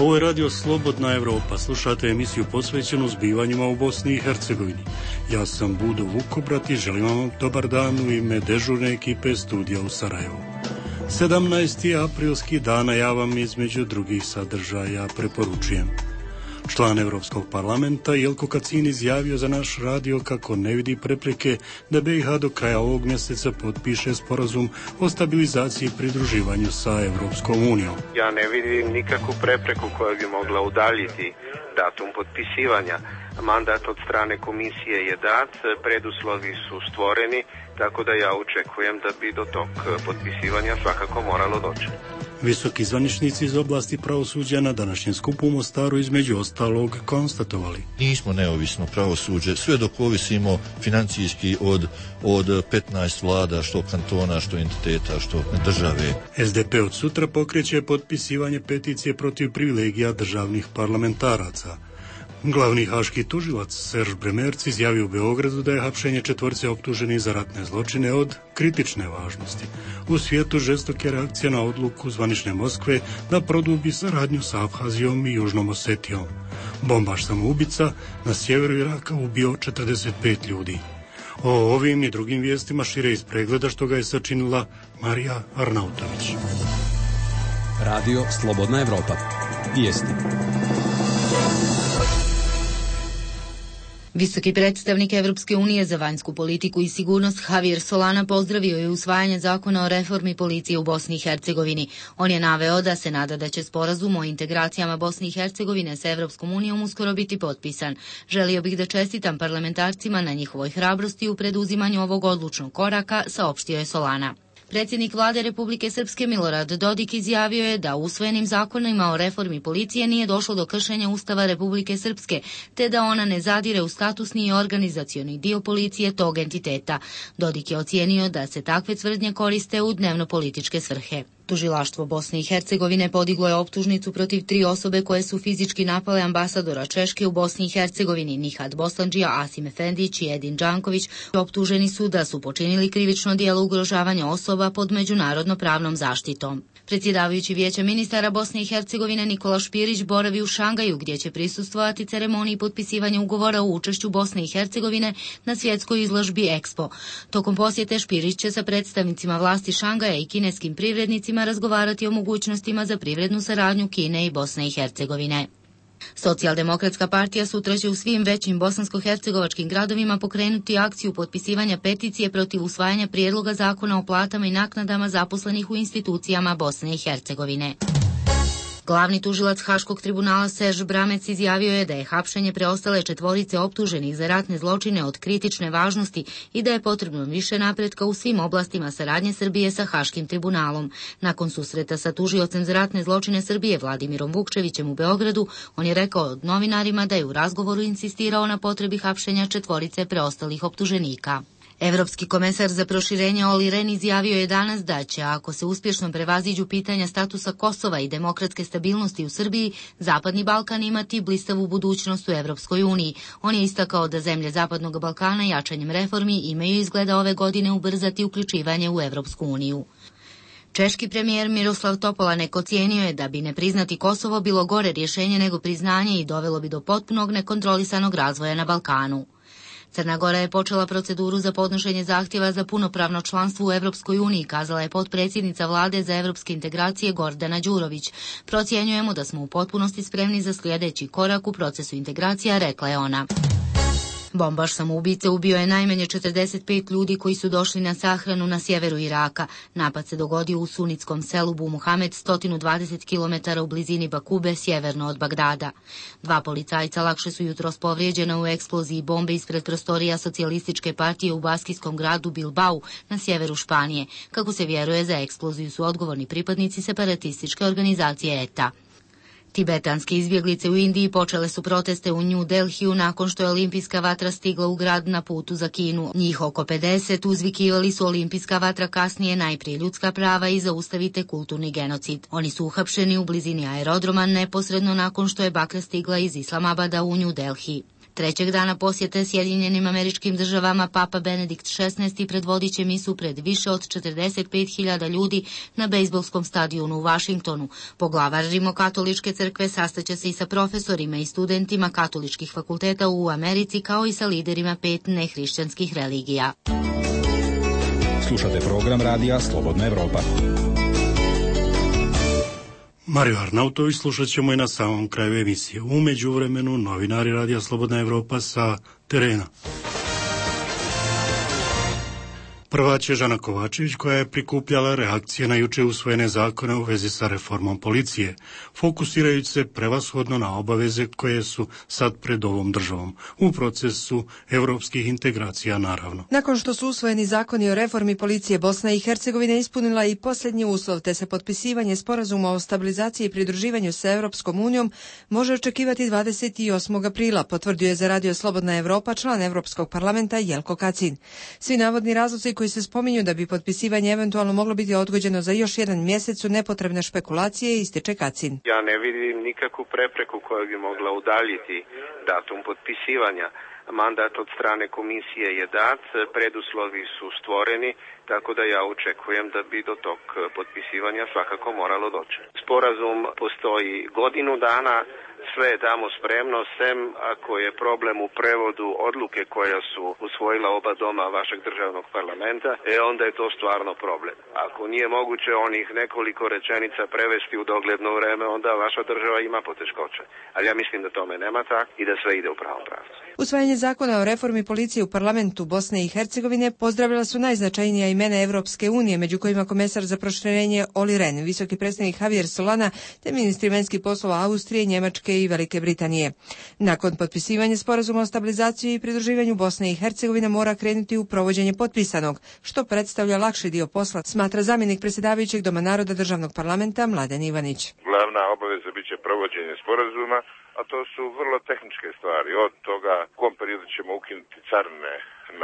Ovo je radio Slobodna Evropa. Slušate emisiju posvećenu zbivanjima u Bosni i Hercegovini. Ja sam Budo Vukobrat i želim vam dobar dan u ime dežurne ekipe studija u Sarajevu. 17. aprilski dana ja vam između drugih sadržaja preporučujem. Član Evropskog parlamenta Jelko Kacin izjavio za naš radio kako ne vidi prepreke da BiH do kraja ovog mjeseca potpiše sporazum o stabilizaciji i pridruživanju sa Evropskom unijom. Ja ne vidim nikakvu prepreku koja bi mogla udaljiti datum potpisivanja. Mandat od strane komisije je dat, preduslovi su stvoreni, tako da ja očekujem da bi do tog potpisivanja svakako moralo doći. Visoki zvaničnici iz oblasti pravosuđa na današnjem skupu u Mostaru između ostalog konstatovali: nismo neovisno pravosuđe, sve dok ovisimo financijski od 15 vlada, što kantona, što entiteta, što države. SDP od sutra pokreće potpisivanje peticije protiv privilegija državnih parlamentaraca. Glavni haški tužilac Serž Bremerc izjavio u Beogradu da je hapšenje 4 optuženih za ratne zločine od kritične važnosti. U svijetu žestoke reakcije na odluku zvanične Moskve da produbi saradnju sa Abhazijom i Južnom Osetijom. Bombaš samoubica na sjeveru Iraka ubio 45 ljudi. O ovim i drugim vijestima šire iz pregleda što ga je sačinila Marija Arnautović. Radio Slobodna Evropa. Vijesti. Visoki predstavnik Evropske unije za vanjsku politiku i sigurnost Javier Solana pozdravio je usvajanje zakona o reformi policije u Bosni i Hercegovini. On je naveo da se nada da će sporazum o integracijama Bosne i Hercegovine sa Evropskom unijom uskoro biti potpisan. Želio bih da čestitam parlamentarcima na njihovoj hrabrosti u preduzimanju ovog odlučnog koraka, saopštio je Solana. Predsjednik vlade Republike Srpske Milorad Dodik izjavio je da usvojenim zakonima o reformi policije nije došlo do kršenja Ustava Republike Srpske, te da ona ne zadire u statusni i organizacioni dio policije tog entiteta. Dodik je ocijenio da se takve tvrdnje koriste u dnevno-političke svrhe. Tužilaštvo Bosne i Hercegovine podiglo je optužnicu protiv 3 osobe koje su fizički napale ambasadora Češke u Bosni i Hercegovini, Nihat Boslandžija, Asim Efendić i Edin Đanković. Optuženi su da su počinili krivično djelo ugrožavanja osoba pod međunarodno pravnom zaštitom. Predsjedavajući Vijeća ministara Bosne i Hercegovine Nikola Špirić boravi u Šangaju, gdje će prisustvovati ceremoniji potpisivanja ugovora o učešću Bosne i Hercegovine na svjetskoj izložbi Expo. Tokom posjete Špirić će sa predstavnicima vlasti Šangaja i kineskim privrednicima razgovarati o mogućnostima za privrednu saradnju Kine i Bosne i Hercegovine. Socijaldemokratska partija sutra će u svim većim bosansko-hercegovačkim gradovima pokrenuti akciju potpisivanja peticije protiv usvajanja prijedloga zakona o platama i naknadama zaposlenih u institucijama Bosne i Hercegovine. Glavni tužilac Haškog tribunala Serž Bramec izjavio je da je hapšenje preostale 4 optuženih za ratne zločine od kritične važnosti i da je potrebno više napretka u svim oblastima saradnje Srbije sa Haškim tribunalom. Nakon susreta sa tužiocem za ratne zločine Srbije Vladimirom Vukčevićem u Beogradu, on je rekao novinarima da je u razgovoru insistirao na potrebi hapšenja 4 preostalih optuženika. Evropski komesar za proširenje Olli Rehn izjavio je danas da će, ako se uspješno prevaziđu pitanja statusa Kosova i demokratske stabilnosti u Srbiji, Zapadni Balkan imati blistavu budućnost u Evropskoj uniji. On je istakao da zemlje Zapadnog Balkana jačanjem reformi imaju izgleda ove godine ubrzati uključivanje u Evropsku uniju. Češki premijer Miroslav Topolanek ocijenio je da bi ne priznati Kosovo bilo gore rješenje nego priznanje i dovelo bi do potpunog nekontrolisanog razvoja na Balkanu. Crna Gora je počela proceduru za podnošenje zahtjeva za punopravno članstvo u Evropskoj uniji, kazala je potpredsjednica vlade za evropske integracije Gordana Đurović. Procjenjujemo da smo u potpunosti spremni za sljedeći korak u procesu integracija, rekla je ona. Bombaš samoubice ubio je najmanje 45 ljudi koji su došli na sahranu na sjeveru Iraka. Napad se dogodio u sunitskom selu Bu Muhamed, 120 km u blizini Bakube, sjeverno od Bagdada. 2 policajca lakše su jutros povrijeđena u eksploziji bombe ispred prostorija socijalističke partije u baskijskom gradu Bilbao na sjeveru Španije. Kako se vjeruje, za eksploziju su odgovorni pripadnici separatističke organizacije ETA. Tibetanske izbjeglice u Indiji počele su proteste u New Delhiju nakon što je olimpijska vatra stigla u grad na putu za Kinu. Njih oko 50 uzvikivali su olimpijska vatra, kasnije najprije ljudska prava i zaustavite kulturni genocid. Oni su uhapšeni u blizini aerodroma neposredno nakon što je baklja stigla iz Islamabada u New Delhi. Trećeg dana posjete Sjedinjenim Američkim Državama Papa Benedikt XVI predvodit će misu pred više od 45.000 ljudi na bejzbolskom stadionu u Vašingtonu. Poglavar Rimokatoličke crkve sastaće se i sa profesorima i studentima katoličkih fakulteta u Americi, kao i sa liderima 5 nehrišćanskih religija. Slušate program radija Slobodna Evropa. Mario Arnautović slušat ćemo i na samom kraju emisije. U međuvremenu novinari radija Slobodna Evropa sa terena. Prva će Žana Kovačević, koja je prikupljala reakcije na juče usvojene zakone u vezi sa reformom policije, fokusirajući se prevashodno na obaveze koje su sad pred ovom državom, u procesu evropskih integracija naravno. Nakon što su usvojeni zakoni o reformi policije, Bosna i Hercegovina ispunila i posljednji uslov, te se potpisivanje sporazuma o stabilizaciji i pridruživanju sa Evropskom unijom može očekivati 28. aprila, potvrdio je za radio Slobodna Evropa član Evropskog parlamenta Jelko Kacin. Svi navodni razlozi koji se spominju da bi potpisivanje eventualno moglo biti odgođeno za još jedan mjesec su nepotrebne špekulacije, ističe Kacin. Ja ne vidim nikakvu prepreku koja bi mogla udaljiti datum potpisivanja. Mandat od strane komisije je dat, preduslovi su stvoreni, tako da ja očekujem da bi do tog potpisivanja svakako moralo doći. Sporazum postoji godinu dana, sve je tamo spremno, sem ako je problem u prevodu odluke koja su usvojila oba doma vašeg državnog parlamenta, onda je to stvarno problem. Ako nije moguće onih nekoliko rečenica prevesti u dogledno vreme, onda vaša država ima poteškoće. Ali ja mislim da tome nema tak i da sve ide u pravom pravcu. Usvajanje zakona o reformi policije u parlamentu Bosne i Hercegovine pozdravila su najznačajnija imena Evropske unije, među kojima komesar za proširenje Olli Rehn, visoki predstavnik Javier Solana, te ministri vanjskih poslova Austrije, Njemačke i Velike Britanije. Nakon potpisivanja sporazuma o stabilizaciji i pridruživanju, Bosne i Hercegovina mora krenuti u provođenje potpisanog, što predstavlja lakši dio posla, smatra zamjenik predsjedavajućeg Doma naroda državnog parlamenta Mladen Ivanić. Glavna obaveza biće provođenje sporazuma, a to su vrlo tehničke stvari. Od toga u kom periodu ćemo ukinuti carine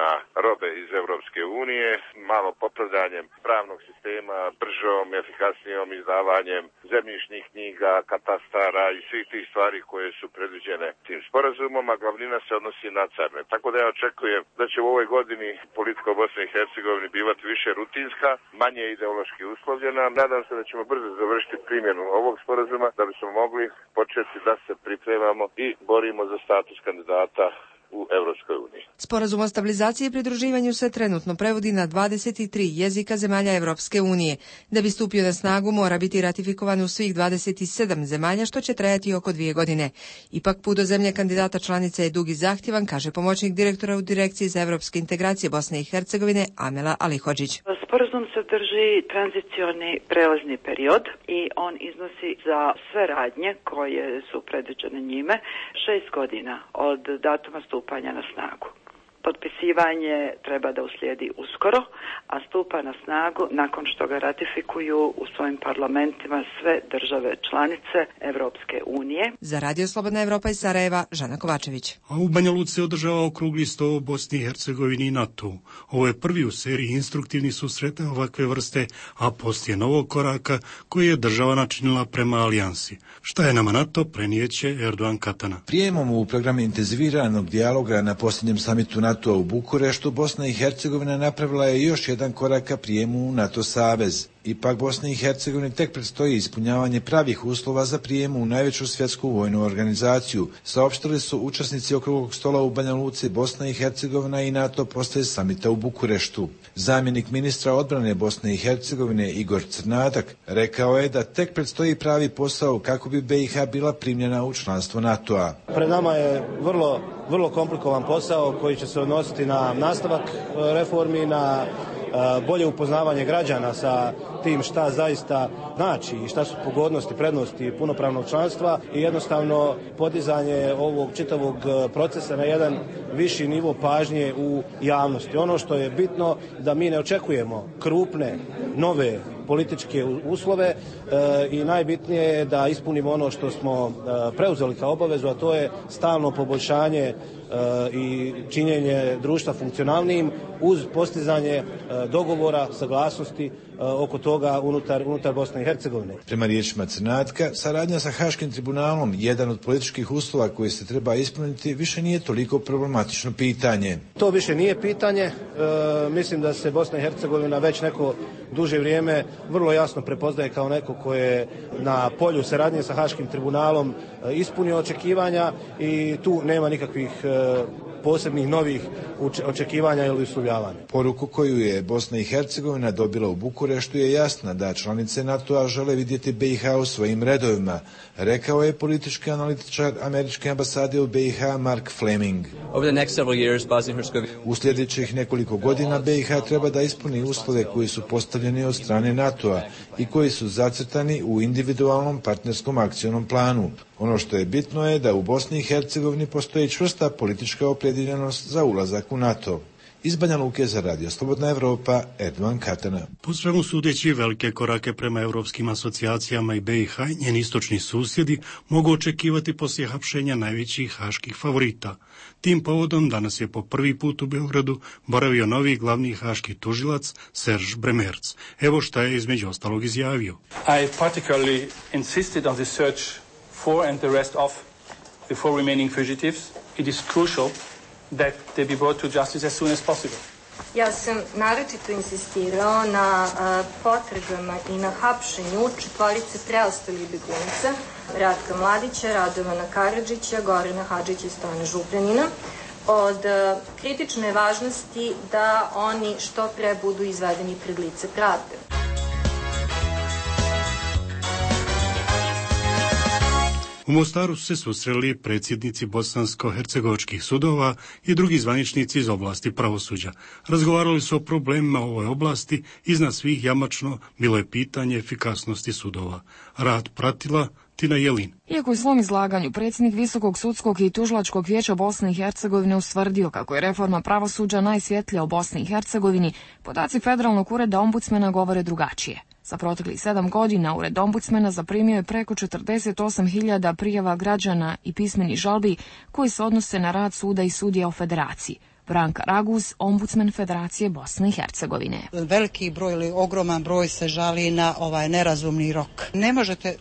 na robe iz Evropske unije, malo popravljanjem pravnog sistema, bržom, efikasnijom izdavanjem zemljišnih knjiga, katastara i svih tih stvari koje su predviđene tim sporazumom, a glavnina se odnosi na carine. Tako da ja očekujem da će u ovoj godini politika u Bosni i Hercegovini bivati više rutinska, manje ideološki uslovljena. Nadam se da ćemo brzo završiti primjenu ovog sporazuma, da bismo mogli početi da se pripremamo i borimo za status kandidata u Evropskoj uniji. Sporazum o stabilizaciji i pridruživanju se trenutno prevodi na 23 jezika zemalja Evropske unije. Da bi stupio na snagu, mora biti ratifikovan u svih 27 zemalja, što će trajati oko 2 godine. Ipak put do zemlje kandidata članice je dug i zahtjevan, kaže pomoćnik direktora u Direkciji za evropske integracije Bosne i Hercegovine Amela Alihodžić. Sporazum sadrži tranzicioni prelazni period i on iznosi za sve radnje koje su predviđene njime 6 godina od datuma stupanja na snagu. Potpisivanje treba da uslijedi uskoro, a stupa na snagu nakon što ga ratifikuju u svojim parlamentima sve države članice Evropske unije. Za Radio Slobodna Evropa iz Sarajeva, Žana Kovačević. A u Banja Luci se održava okrugli sto o Bosni i Hercegovini i NATO. Ovo je prvi u seriji instruktivnih susreta ovakve vrste, a poslije novog koraka koji je država načinila prema alijansi. Šta je nama NATO, prenijeće Erdogan Katana. Prijemom u program intenziviranog dijaloga na posljednjem samitu NATO u Bukureštu, Bosna i Hercegovina napravila je još jedan korak ka prijemu u NATO savez. Ipak Bosni i Hercegovini tek predstoji ispunjavanje pravih uslova za prijem u najveću svjetsku vojnu organizaciju, saopštili su učesnici okruglog stola u Banja Luci. Bosna i Hercegovina i NATO poslije samita u Bukureštu. Zamjenik ministra odbrane Bosne i Hercegovine Igor Crnadak rekao je da tek predstoji pravi posao kako bi BiH bila primljena u članstvo NATO-a. Pred nama je vrlo komplikovan posao koji će se odnositi na nastavak reformi, na bolje upoznavanje građana sa tim šta zaista znači i šta su pogodnosti, prednosti punopravnog članstva i jednostavno podizanje ovog čitavog procesa na jedan viši nivo pažnje u javnosti. Ono što je bitno da mi ne očekujemo krupne, nove političke uslove i najbitnije je da ispunimo ono što smo preuzeli kao obavezu, a to je stalno poboljšanje i činjenje društva funkcionalnijim uz postizanje dogovora, saglasnosti oko toga unutar Bosne i Hercegovine. Prema riječima Crnatka, saradnja sa Haškim tribunalom, jedan od političkih uslova koji se treba ispuniti, više nije toliko problematično pitanje. To više nije pitanje. Mislim da se Bosna i Hercegovina već neko duže vrijeme vrlo jasno prepoznaje kao neko koje je na polju saradnje sa Haškim tribunalom ispunio očekivanja i tu nema nikakvih posebnih novih očekivanja ili uslovljavanja. Poruku koju je Bosna i Hercegovina dobila u Bukureštu je jasna da članice NATO-a žele vidjeti BiH u svojim redovima, rekao je politički analitičar američke ambasade u BiH Mark Fleming. U sljedećih nekoliko godina BiH treba da ispuni uslove koji su postavljeni od strane NATO-a i koji su zacrtani u individualnom partnerskom akcionom planu. Ono što je bitno je da u Bosni i Hercegovini postoji čvrsta politička opredjeljenost za ulazak u NATO. Iz Banja Luke za Radio Slobodna Evropa, Erdogan Katana. Po svemu sudeći velike korake prema europskim asocijacijama i BiH i njeni istočni susjedi mogu očekivati poslije hapšenja najvećih haških favorita. Tim povodom danas je po prvi put u Beogradu boravio novi glavni haški tužilac Serge Bremerc. Evo šta je između ostalog izjavio. I particularly insisted on the search for and the arrest of the 4 remaining fugitives. It is crucial that they be brought to justice as soon as possible. Ja sam naročito insistirao na potrebama i na hapšenju 4 preostalih begunaca, Ratka Mladića, Radovana Karadžića, Gorana Hadžića i Stojana Župljanina. Od kritične važnosti da oni što pre budu izvedeni pred lice pravde. U Mostaru su se susreli predsjednici bosansko-hercegovačkih sudova i drugi zvaničnici iz oblasti pravosuđa. Razgovarali su o problemima u ovoj oblasti, iznad svih jamačno bilo je pitanje efikasnosti sudova. Rad pratila Tina Jelin. Iako je u svom izlaganju predsjednik Visokog sudskog i tužilačkog vijeća Bosne i Hercegovine ustvrdio kako je reforma pravosuđa najsvjetlija u Bosni i Hercegovini, podaci Federalnog ureda ombudsmena govore drugačije. Za proteklih 7 godina Ured ombudsmena zaprimio je preko 48.000 prijava građana i pismenih žalbi koji se odnose na rad suda i sudija u Federaciji. Branka Raguz, ombudsman Federacije Bosne i Hercegovine. Veliki broj ili ogroman broj se žali na nerazumni rok. Ne možete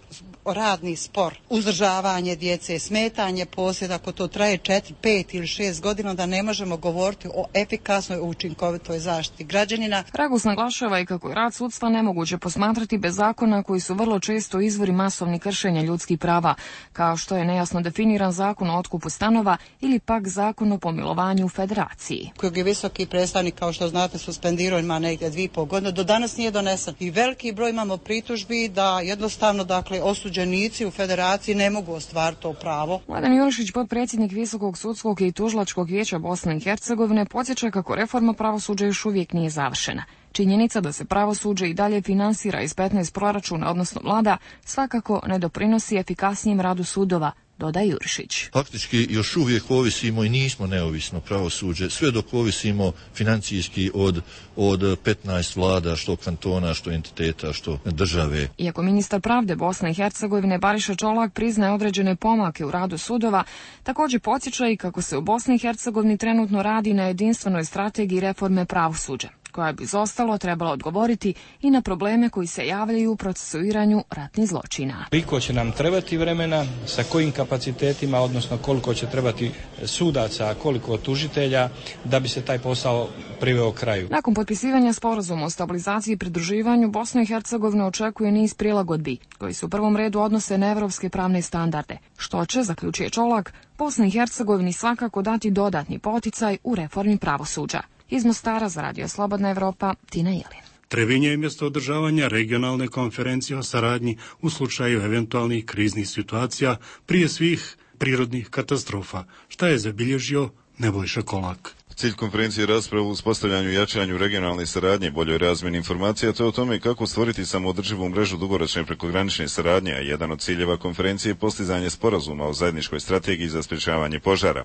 radni spor, uzdržavanje djece, smetanje posjeda, ako to traje 4, 5 ili 6 godina, da ne možemo govoriti o efikasnoj, učinkovitoj zaštiti građanina. Raguz naglašava i kako je rad sudstva nemoguće posmatrati bez zakona koji su vrlo često izvori masovnih kršenja ljudskih prava, kao što je nejasno definiran zakon o otkupu stanova ili pak zakon o pomilovanju u Federaciji. Kojeg je visoki predstavnik, kao što znate, suspendirao, ima negdje 2,5 godine, do danas nije donesen. I veliki broj imamo pritužbi da jednostavno, osuđenici u Federaciji ne mogu ostvariti to pravo. Mladen Jurišić, potpredsjednik Visokog sudskog i tužilačkog vijeća Bosne i Hercegovine, podsjeća kako reforma pravosuđa još uvijek nije završena. Činjenica da se pravosuđe i dalje finansira iz 15 proračuna, odnosno vlada, svakako ne doprinosi efikasnijem radu sudova, dodaje Jurišić. Faktički još uvijek ovisimo i nismo neovisno pravosuđe, sve dok ovisimo financijski od 15 vlada, što kantona, što entiteta, što države. Iako ministar pravde Bosne i Hercegovine Bariša Čolak priznaje određene pomake u radu sudova, također podsjeća i kako se u Bosni i Hercegovini trenutno radi na jedinstvenoj strategiji reforme pravosuđa, koja bi izostalo trebala odgovoriti i na probleme koji se javljaju u procesuiranju ratnih zločina. Koliko će nam trebati vremena, sa kojim kapacitetima, odnosno koliko će trebati sudaca, koliko tužitelja, da bi se taj posao priveo kraju. Nakon potpisivanja sporazuma o stabilizaciji i pridruživanju, Bosna i Hercegovina očekuje niz prilagodbi, koji se u prvom redu odnose na evropske pravne standarde, što će, zaključuje Čolak, Bosni i Hercegovini svakako dati dodatni poticaj u reformi pravosuđa. Iz Mostara za Radio Slobodna Evropa, Tina Jelin. Trebinje je mjesto održavanja regionalne konferencije o saradnji u slučaju eventualnih kriznih situacija, prije svih prirodnih katastrofa, šta je zabilježio Nebojša Kolak. Cilj konferencije je rasprava u uspostavljanju i jačanju regionalne saradnje i boljoj razmjeni informacija, te o tome kako stvoriti samoodrživu mrežu dugoročne prekogranične saradnje, a jedan od ciljeva konferencije je postizanje sporazuma o zajedničkoj strategiji za sprječavanje požara.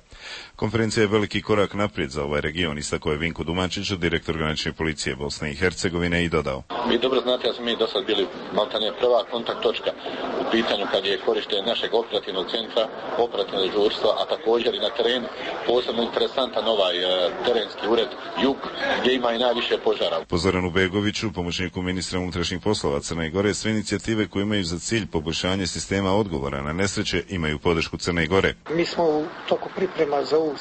Konferencija je veliki korak naprijed za ovaj region, istakao je Vinko Dumančić, direktor granične policije Bosne i Hercegovine, i dodao. Vi dobro znate da smo mi do sad bili maltene prva kontakt točka u pitanju kad je korištenje našeg operativnog centra, operativnog dežurstva, a također i na terenu. Posebno interesantan terenski ured Jug, gdje ima i najviše požara. Po Zoranu Begoviću, pomoćniku ministra unutrašnjih poslova Crne Gore, sve inicijative koje imaju za cilj poboljšanje sistema odgovora na nesreće imaju podršku Crne Gore. Mi smo u toku priprema za ovu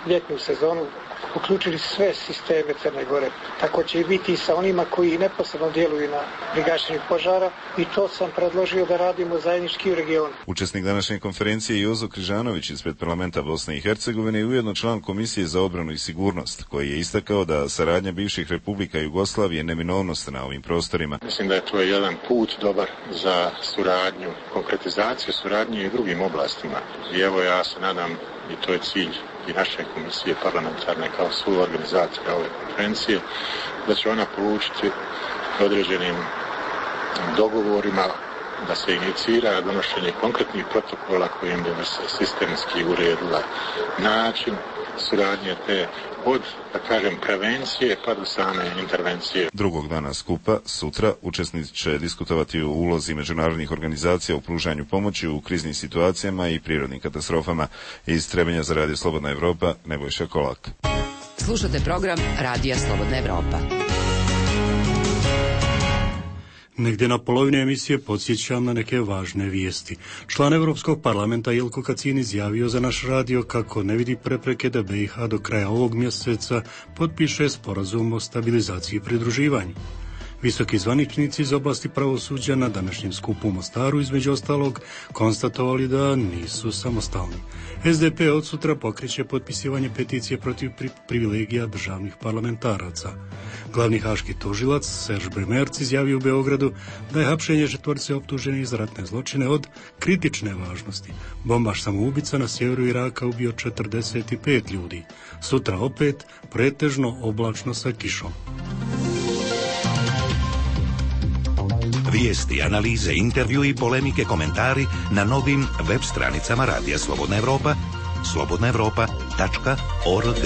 ljetnu sezonu uključili sve sisteme Crne Gore. Tako će i biti i sa onima koji neposredno djeluju na gašenju požara i to sam predložio da radimo zajednički u regionu. Učesnik današnje konferencije je Jozo Križanović ispred parlamenta Bosne i Hercegovine i ujedno član Komisije za obranu i sigurnost, koji je istakao da saradnja bivših republika Jugoslavije neminovnost na ovim prostorima. Mislim da je to jedan put dobar za suradnju, konkretizaciju suradnje i drugim oblastima. I evo ja se nadam, i to je cilj i naše komisije parlamentarne kao svoju organizaciju ove konferencije, da će ona polučiti određenim dogovorima da se inicira donošenje konkretnih protokola kojim bi se sistemski uredila način suradnje te od, da kažem, prevencije pa do same intervencije. Drugog dana skupa, sutra, učesnici će diskutovati o ulozi međunarodnih organizacija u pružanju pomoći u kriznim situacijama i prirodnim katastrofama. Iz Trebinja za Radio Slobodna Evropa, Nebojša Kolak. Slušate program Radija Slobodna Evropa. Negdje na polovini emisije podsjećam na neke važne vijesti. Član Europskog parlamenta Jelko Kacin izjavio za naš radio kako ne vidi prepreke da BiH do kraja ovog mjeseca potpiše sporazum o stabilizaciji i pridruživanju. Visoki zvaničnici iz oblasti pravosuđa na današnjem skupu u Mostaru između ostalog konstatovali da nisu samostalni. SDP od sutra pokreće potpisivanje peticije protiv privilegija državnih parlamentaraca. Glavni haški tužilac Serge Bremerc izjavio u Beogradu da je hapšenje četvorce optuženih za ratne zločine od kritične važnosti. Bombaš samoubica na sjeveru Iraka ubio 45 ljudi. Sutra opet pretežno oblačno sa kišom. Vijesti, analize, intervju i polemike, komentari na novim web stranicama Radija Slobodna Evropa, slobodnaevropa.org.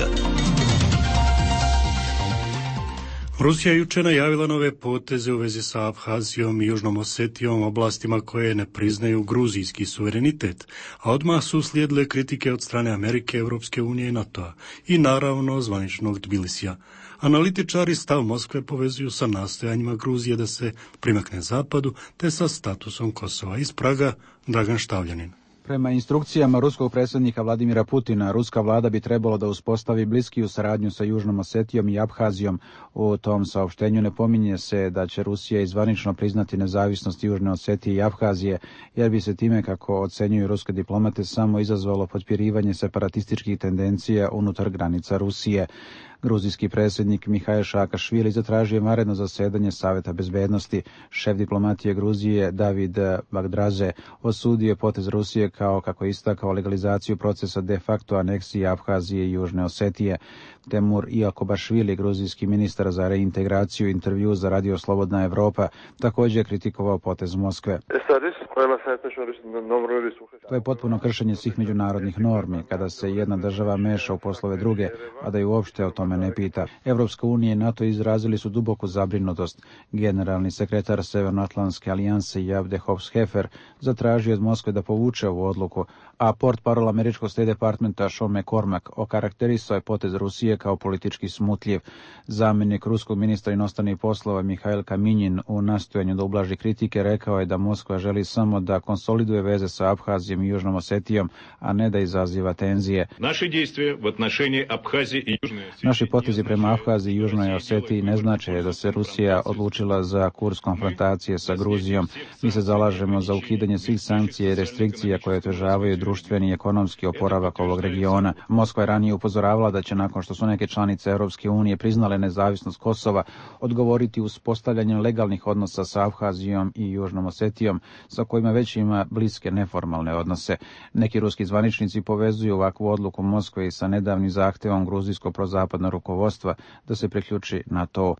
Rusija je jučer najavila nove poteze u vezi sa Abhazijom i Južnom Osetijom, oblastima koje ne priznaju gruzijski suverenitet, a odmah su uslijedile kritike od strane Amerike, Europske unije i NATO-a i naravno zvaničnog Tbilisija. Analitičari stav Moskve povezuju sa nastojanjima Gruzije da se primakne zapadu te sa statusom Kosova. Iz Praga, Dragan Štavljanin. Prema instrukcijama ruskog predsjednika Vladimira Putina, ruska vlada bi trebalo da uspostavi bliskiju saradnju sa Južnom Osetijom i Abhazijom. U tom saopštenju ne pominje se da će Rusija izvanično priznati nezavisnost Južne Osetije i Abhazije, jer bi se time, kako ocenjuju ruske diplomate, samo izazvalo potpirivanje separatističkih tendencija unutar granica Rusije. Gruzijski predsjednik Mihail Saakašvili zatražio je vanredno zasedanje Saveta bezbednosti. Šef diplomatije Gruzije David Bagdraze osudio je potez Rusije kao, kako je istakao, legalizaciju procesa de facto aneksije Abhazije i Južne Osetije. Temur Iakobašvili, gruzijski ministar za reintegraciju, intervju za Radio Slobodna Evropa, također je kritikovao potez Moskve. To je potpuno kršenje svih međunarodnih normi, kada se jedna država meša u poslove druge, a da ju uopšte o tome ne pita. Evropska unija i NATO izrazili su duboku zabrinutost. Generalni sekretar Severnoatlantske alijanse Javde Hobbs-Hefer zatražio od Moskve da povuče ovu odluku, a portparol američkog State Departmenta Sean McCormack okarakterisao je potez Rusije kao politički smutljiv. Zamjenik ruskog ministra inostranih poslova Mihail Kaminjin u nastojanju da ublaži kritike rekao je da Moskva želi samo da konsoliduje veze sa Abhazijom i Južnom Osetijom, a ne da izaziva tenzije. Naši potezi prema Abhaziji i Južnoj Osetiji ne znače da se Rusija odlučila za kurs konfrontacije sa Gruzijom. Mi se zalažemo za ukidanje svih sankcija i restrikcija koje otežavaju društveni i ekonomski oporavak ovog regiona. Moskva je ranije upozoravala da će, nakon što su neke članice Europske unije priznale nezavisnost Kosova, odgovoriti uspostavljanjem legalnih odnosa sa Abhazijom i Južnom Osetijom, sa kojima već ima bliske neformalne odnose. Neki ruski zvaničnici povezuju ovakvu odluku Moskve i sa nedavnim zahtevom gruzijskog prozapadnog rukovodstva da se priključi na to.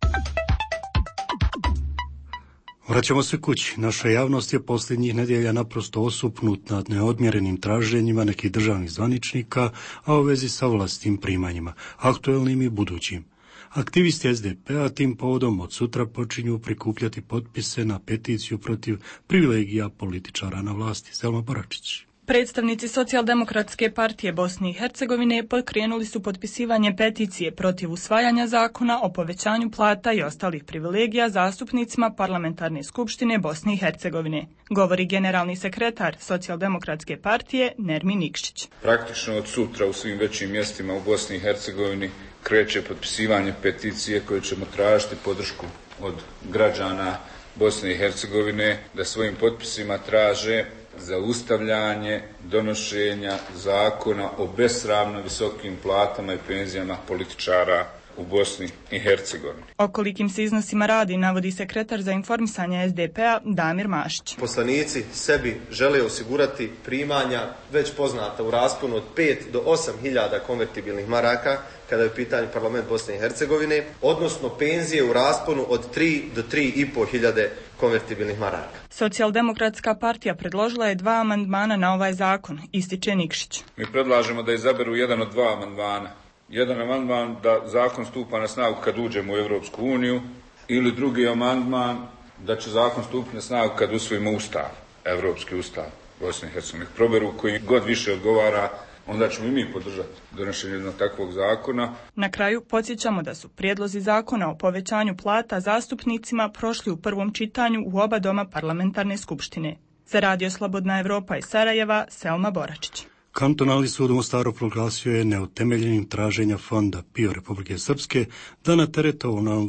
Vraćamo se kući. Naša javnost je posljednjih nedjelja naprosto osupnut nad neodmjerenim traženjima nekih državnih zvaničnika, a u vezi sa vlastitim primanjima, aktuelnim i budućim. Aktivisti SDP-a tim povodom od sutra počinju prikupljati potpise na peticiju protiv privilegija političara na vlasti. Selma Baračić. Predstavnici Socijaldemokratske partije Bosne i Hercegovine pokrenuli su potpisivanje peticije protiv usvajanja zakona o povećanju plata i ostalih privilegija zastupnicima Parlamentarne skupštine Bosne i Hercegovine, govori generalni sekretar Socijaldemokratske partije Nermin Nikšić. Praktično od sutra u svim većim mjestima u Bosni i Hercegovini kreće potpisivanje peticije koje ćemo tražiti podršku od građana Bosne i Hercegovine da svojim potpisima traže zaustavljanje donošenja zakona o besramno visokim platama i penzijama političara u Bosni i Hercegovini. O kolikim se iznosima radi, navodi sekretar za informisanje SDP-a Damir Mašić. Poslanici sebi žele osigurati primanja već poznata u rasponu od 5 do 8 hiljada konvertibilnih maraka, kada je u pitanju parlament Bosne i Hercegovine, odnosno penzije u rasponu od 3 do 3,5 hiljade konvertibilnih maraka. Socijaldemokratska partija predložila je 2 amandmana na ovaj zakon, ističe Nikšić. Mi predlažemo da izaberu jedan od 2 amandmana. Jedan amandman da zakon stupa na snagu kad uđemo u Europsku uniju, ili drugi amandman da će zakon stupiti na snagu kad usvojimo ustav, Europski ustav Bosne i Hercegovine. Proberu koji god više odgovara, onda ćemo i mi podržati donošenje jednog takvog zakona. Na kraju podsjećamo da su prijedlozi zakona o povećanju plata zastupnicima prošli u prvom čitanju u oba doma Parlamentarne skupštine. Za Radio Slobodna Evropa iz Sarajeva, Selma Boračić. Kantonalni sud u Mostaru proglasio je neutemeljenim traženja fonda PIO Republike Srpske da na teret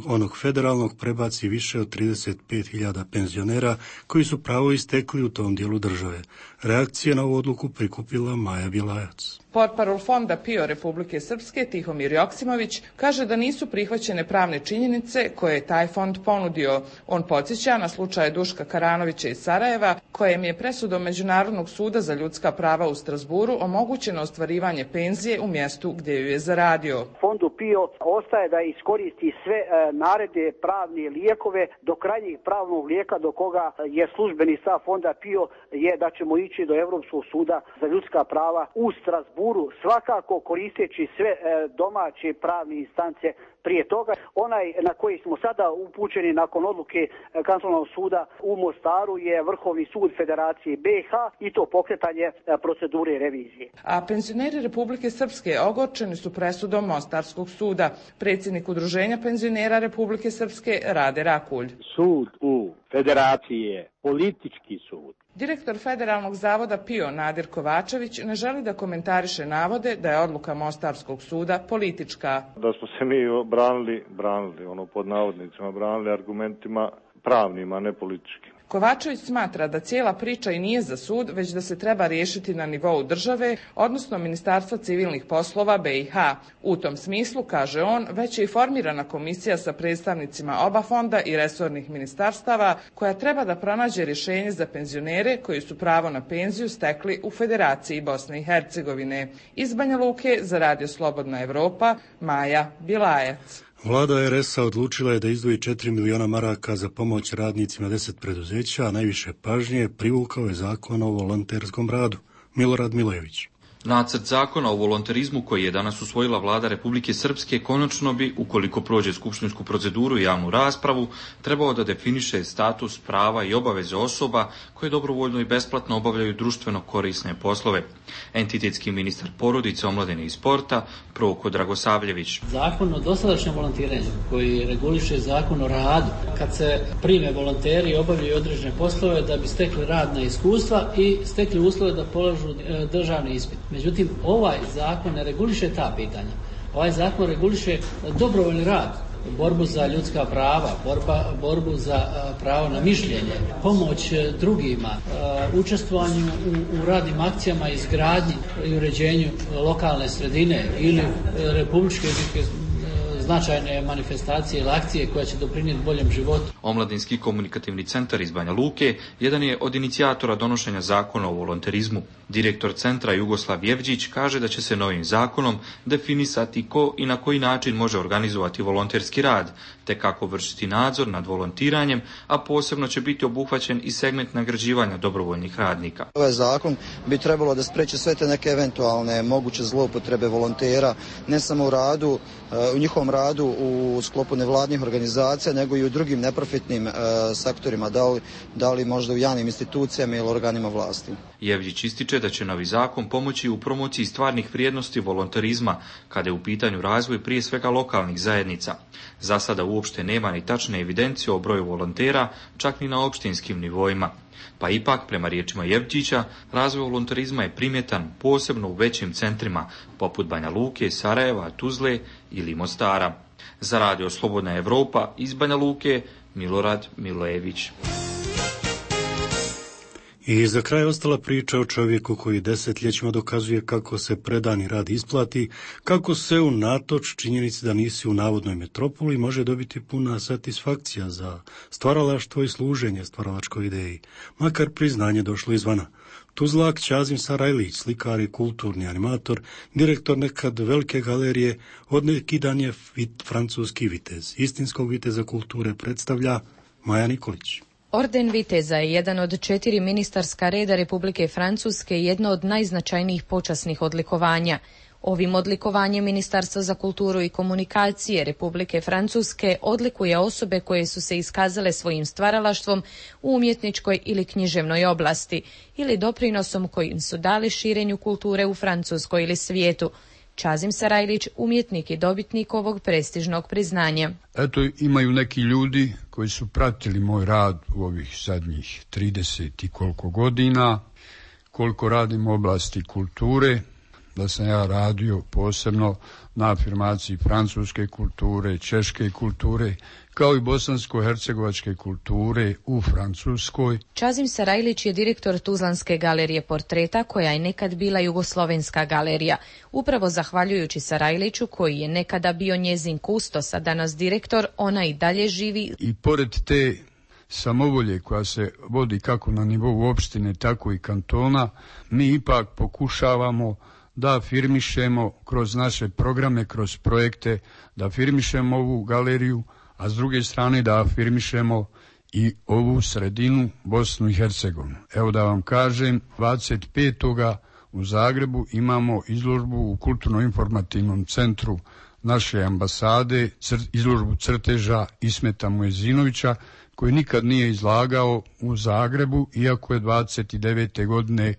onog federalnog prebaci više od 35.000 penzionera koji su pravo istekli u tom dijelu države. Reakcije na ovu odluku prikupila Maja Bilajac. Portparol fonda PIO Republike Srpske Tihomir Joksimović kaže da nisu prihvaćene pravne činjenice koje je taj fond ponudio. On podsjeća na slučaj Duška Karanovića iz Sarajeva, kojem je presudom Međunarodnog suda za ljudska prava u Strasburu omogućeno ostvarivanje penzije u mjestu gdje ju je zaradio. Fondu PIO ostaje da iskoristi sve naredne pravne lijekove do krajnjeg pravnog lijeka do koga je službeni stav fonda PIO je da ćemo ići do Europskog suda za ljudska prava u Strasburu, svakako koristeći sve domaće pravne instance prije toga. Onaj na koji smo sada upućeni nakon odluke kantonalnog suda u Mostaru je Vrhovni sud Federacije BiH i to pokretanje procedure revizije. A penzioneri Republike Srpske ogorčeni su presudom Mostarskog suda. Predsjednik Udruženja penzionera Republike Srpske Rade Rakulj. Sud u Federaciji je politički sud. Direktor Federalnog zavoda PIO Nadir Kovačević ne želi da komentariše navode da je odluka Mostarskog suda politička. Da smo se mi branili, pod navodnicima, branili argumentima pravnima, ne političkim. Kovačević smatra da cijela priča i nije za sud, već da se treba riješiti na nivou države, odnosno Ministarstva civilnih poslova BiH. U tom smislu, kaže on, već je i formirana komisija sa predstavnicima oba fonda i resornih ministarstava, koja treba da pronađe rješenje za penzionere koji su pravo na penziju stekli u Federaciji Bosne i Hercegovine. Iz Banja Luke za Radio Slobodna Evropa, Maja Bilajac. Vlada RS-a odlučila je da izdvoji 4 miliona maraka za pomoć radnicima 10 preduzeća, a najviše pažnje privukao je zakon o volonterskom radu. Milorad Milojević. Nacrt zakona o volonterizmu koji je danas usvojila vlada Republike Srpske konačno bi, ukoliko prođe skupštinsku proceduru i javnu raspravu, trebao da definiše status, prava i obaveze osoba koje dobrovoljno i besplatno obavljaju društveno korisne poslove. Entitetski ministar porodice, omladine i sporta, Proko Dragosavljević. Zakon o dosadašnjem volontiranju koji reguliše zakon o radu, kad se prime volonteri i obavljaju određene poslove da bi stekli radna iskustva i stekli uslove da polažu državni ispit. Međutim, ovaj zakon ne reguliše ta pitanja. Ovaj zakon reguliše dobrovoljni rad, borbu za ljudska prava, borbu za pravo na mišljenje, pomoć drugima, učestvovanju u radnim akcijama, izgradnji i uređenju lokalne sredine ili republičke značajne manifestacije ili akcije koja će doprinijeti boljem životu. Omladinski komunikativni centar iz Banja Luke jedan je od inicijatora donošenja zakona o volonterizmu. Direktor centra Jugoslav Jevđić kaže da će se novim zakonom definisati ko i na koji način može organizovati volonterski rad, te kako vršiti nadzor nad volontiranjem, a posebno će biti obuhvaćen i segment nagrađivanja dobrovoljnih radnika. Ovaj zakon bi trebalo da spreči sve te neke eventualne moguće zloupotrebe volontera, ne samo u radu, u njihovom radu radu u sklopu nevladnih organizacija, nego i u drugim neprofitnim sektorima, da li možda u javnim institucijama ili organima vlasti. Jevđić ističe da će novi zakon pomoći u promociji stvarnih vrijednosti volonterizma, kada je u pitanju razvoj prije svega lokalnih zajednica. Za sada uopšte nema ni tačne evidencije o broju volontera, čak ni na opštinskim nivoima. Pa ipak, prema riječima Jevđića, razvoj volonterizma je primjetan posebno u većim centrima, poput Banja Luke, Sarajeva, Tuzle ili Mostara. Za Radio Slobodna Evropa iz Banja Luke, Milorad Milojević. I za kraj ostala priča o čovjeku koji desetljećima dokazuje kako se predani rad isplati, kako se unatoč činjenici da nisi u navodnoj metropoli može dobiti puna satisfakcija za stvaralaštvo i služenje stvaralačkoj ideji, makar priznanje došlo izvana. Tuzlak Ćazim Sarajlić, slikar i kulturni animator, direktor nekad velike galerije, od neki dan je francuski vitez. Istinskog viteza kulture predstavlja Maja Nikolić. Orden viteza je jedan od 4 ministarska reda Republike Francuske i jedno od najznačajnijih počasnih odlikovanja. Ovim odlikovanjem Ministarstvo za kulturu i komunikacije Republike Francuske odlikuje osobe koje su se iskazale svojim stvaralaštvom u umjetničkoj ili književnoj oblasti ili doprinosom kojim su dali širenju kulture u Francuskoj ili svijetu. Ćazim Sarajlić, umjetnik i dobitnik ovog prestižnog priznanja. Eto, imaju neki ljudi koji su pratili moj rad u ovih zadnjih 30 i koliko godina, koliko radim u oblasti kulture, da sam ja radio posebno na afirmaciji francuske kulture, češke kulture, kao i bosansko-hercegovačke kulture u Francuskoj. Ćazim Sarajlić je direktor Tuzlanske galerije portreta, koja je nekad bila Jugoslovenska galerija. Upravo zahvaljujući Sarajliću, koji je nekada bio njezin kustos, a danas direktor, ona i dalje živi. I pored te samovolje koja se vodi kako na nivou opštine, tako i kantona, mi ipak pokušavamo da afirmišemo kroz naše programe, kroz projekte, da afirmišemo ovu galeriju, a s druge strane da afirmišemo i ovu sredinu, Bosnu i Hercegovinu. Evo da vam kažem, 25. u Zagrebu imamo izložbu u Kulturno-informativnom centru naše ambasade, izložbu crteža Ismeta Muezinovića, koji nikad nije izlagao u Zagrebu, iako je 29. godine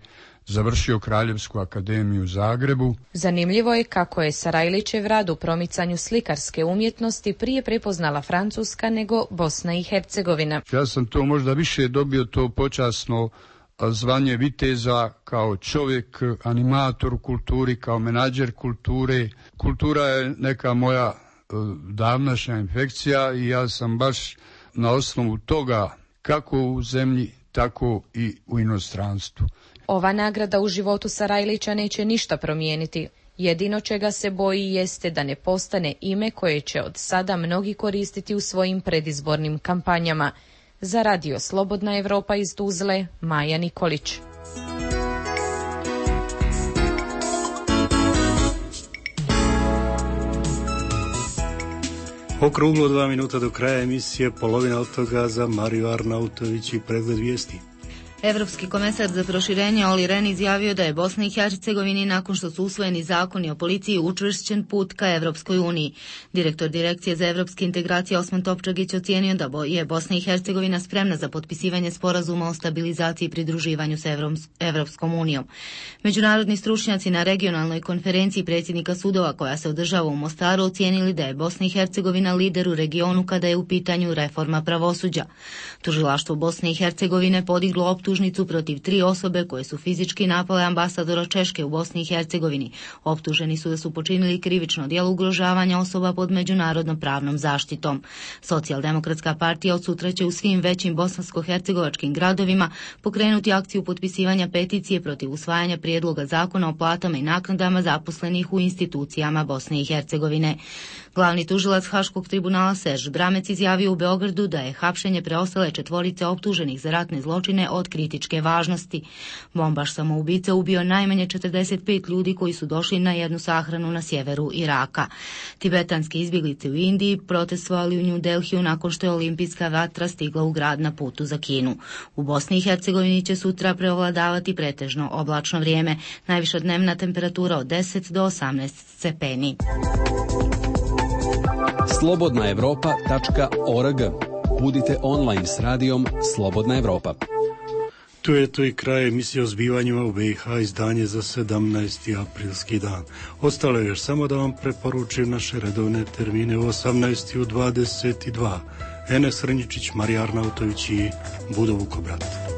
završio Kraljevsku akademiju u Zagrebu. Zanimljivo je kako je Sarajlićev rad u promicanju slikarske umjetnosti prije prepoznala Francuska nego Bosna i Hercegovina. Ja sam to možda više dobio to počasno zvanje viteza kao čovjek, animator u kulturi, kao menadžer kulture. Kultura je neka moja davnašnja infekcija i ja sam baš na osnovu toga kako u zemlji, tako i u inostranstvu. Ova nagrada u životu Sarajlića neće ništa promijeniti. Jedino čega se boji jeste da ne postane ime koje će od sada mnogi koristiti u svojim predizbornim kampanjama. Za Radio Slobodna Evropa iz Tuzle, Maja Nikolić. Okruglo 2 minuta do kraja emisije, polovina od toga za Mariju Arnautović i pregled vijesti. Evropski komesar za proširenje Olli Rehn izjavio da je Bosni i Hercegovini nakon što su usvojeni zakoni o policiji učvršćen put ka Evropskoj uniji. Direktor Direkcije za evropske integracije Osman Topčagić ocijenio da je Bosna i Hercegovina spremna za potpisivanje sporazuma o stabilizaciji i pridruživanju sa Evropskom unijom. Međunarodni stručnjaci na regionalnoj konferenciji predsjednika sudova koja se održava u Mostaru ocijenili da je Bosna i Hercegovina lider u regionu kada je u pitanju reforma pravosuđa. Tužilaštvo Bosne i Hercegovine podiglo optužnicu protiv 3 osobe koje su fizički napale ambasadora Češke u Bosni i Hercegovini. Optuženi su da su počinili krivično djelo ugrožavanja osoba pod međunarodnom pravnom zaštitom. Socijaldemokratska partija od sutra će u svim većim bosansko-hercegovačkim gradovima pokrenuti akciju potpisivanja peticije protiv usvajanja prijedloga zakona o platama i naknadama zaposlenih u institucijama Bosne i Hercegovine. Glavni tužilac Haškog tribunala Serž Bramec izjavio u Beogradu da je hapšenje preostale 4 optuženih za ratne zločine od kritičke važnosti. Bombaš samoubica ubio najmanje 45 ljudi koji su došli na jednu sahranu na sjeveru Iraka. Tibetanske izbjeglice u Indiji protestovali u New Delhiju nakon što je olimpijska vatra stigla u grad na putu za Kinu. U Bosni i Hercegovini će sutra preovladavati pretežno oblačno vrijeme, najviša dnevna temperatura od 10 do 18 stepeni. slobodnaevropa.org. Budite online s radijom Slobodna Evropa. Tu je to i kraj emisije o zbivanjima u BiH, izdanje za 17. aprilski dan. Ostalo je još samo da vam preporučim naše redovne termine u 18. u 22. Enes Rnjičić, Marija Arnautović i Budo Vukobrat.